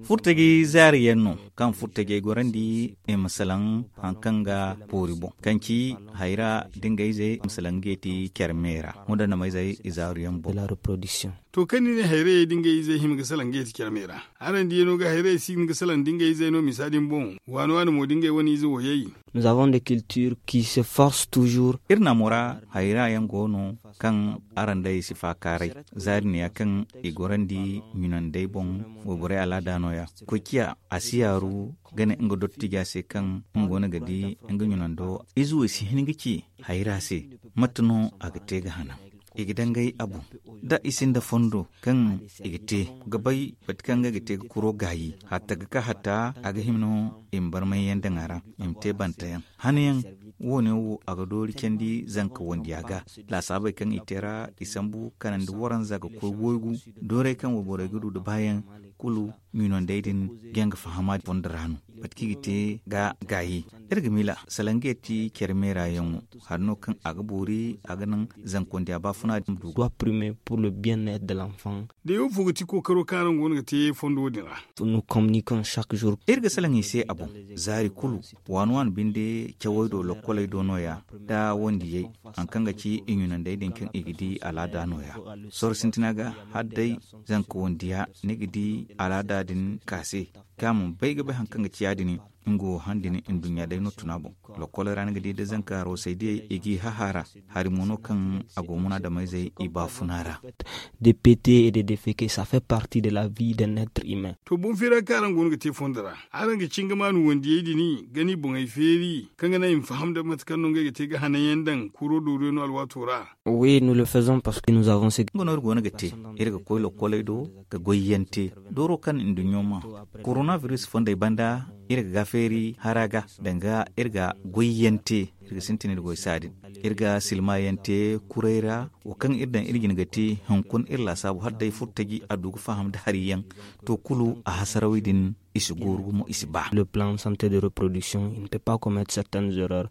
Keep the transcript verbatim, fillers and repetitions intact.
Furtaji zaari yaŋ no kaŋ furtajey gorandi i ma salaŋ hari kaŋ ga boori boŋ, kaŋ ci hayra da ngey ize ma salaŋ ga yeeti care me ra. Wanda na ma izey i zaaru yaŋ boŋ. To kaŋ ni ne hayrayey da ngey izey hima ga salaŋ ga yeeti care me ra, araŋ diya no ga hayrayey si hima ga salaŋ da ngey izey no misa din boŋ? Waani waani mo da ngey wane ize wo yay. Nous avons des cultures qui se forcent toujours. Iri naamo ra hayra yaŋ go no kaŋ araŋ day si faakaaray. Zaari neeya kaŋ i gorandi ɲunandey boŋ, wayborey alaada nooya. Koy ciya a si yaaru ga ne nga dottija se kaŋ nga go no ga di nga ɲunando ize wo si hin ga ci hayra se. Mate no a ga te ga hana i ga dangay a boŋ da i sinda fondo kaŋ i ga te ga bay bati kaŋ ga te ga kuro gaayi hatta ga ka hatta a ga hima no i ma barmay yaŋ daŋ a ra i ma te banta yaŋ. Hana yaŋ wo ne wo a ga doori candi zanka wandiya ga laasaabey kaŋ i te ra i sambu kanandi waranza ga koy woygu. Doorey kaŋ wo borey ga du da baayaŋ kulu ɲunandey din ga yaŋ ga fahama fondo ra no. Bati kaŋ i ga te ga gaayi iri ga miila salaŋ ga yeeti care me ra yaŋo hari no kaŋ a ga boori a ga naŋ zanka wandiya baafuna din du. Doit primer pour le bien être de l'enfant. Da yaw fo ga ti kookaro kaŋ araŋ go no ga te fondo din ra. Nous communiquons chaque jour. Iri ga salaŋ i se a boŋ zaari kulu waani waani binde cawey do lokkoley do nooya da wandiyey hari kaŋ ga ci i ɲunandey din kaŋ i ga di alaada nooya. Sorro sintina ga hala day zanka wandiya ni ga di alaada din ka se kaŋ a ma bay ga bay hari kaŋ ga ci ya- din. Nga wo han din nduɲɲa day no tuna boŋ. Lokkoley ra ni ga di da zanka roosey diyey i g'i hahaara hari mo no kaŋ a go munaadamayzey i baafuna ra. Des pétés et des déféqués ça fait partie de la vie d'un être humain. To boŋ feera kaŋ araŋ go no ga te fondo ra araŋ ga cingamaanu wandiyey din ga ni boŋey feeri kaŋ ga naŋ i ma faham da mate kaŋ no ngey ga te ga hanayaŋ daŋ kuro dooruyaŋ no alwaato ra. Oui nous le faisons parce que nous avons ce. Nga no iri go no ga te iri ga koy lokkoley do ga goyyaŋ te dooro kaŋ nduɲɲo ma koronabiris fondey banda iri ga gaafeeri hara ga danga iri ga goyyaŋ te. Iri ga sintin iri goy saadin iri ga silmayaŋ te kurey ra wo kaŋ iri daŋ iri jina ga te hunkuna iri laasaabu hala day furtaji a du ga faham nda hari yaŋ. To kulu a hasarawey din i si gooru gumo i si ba. Le plan santé de reproduction il ne peut pas commettre certaines erreurs.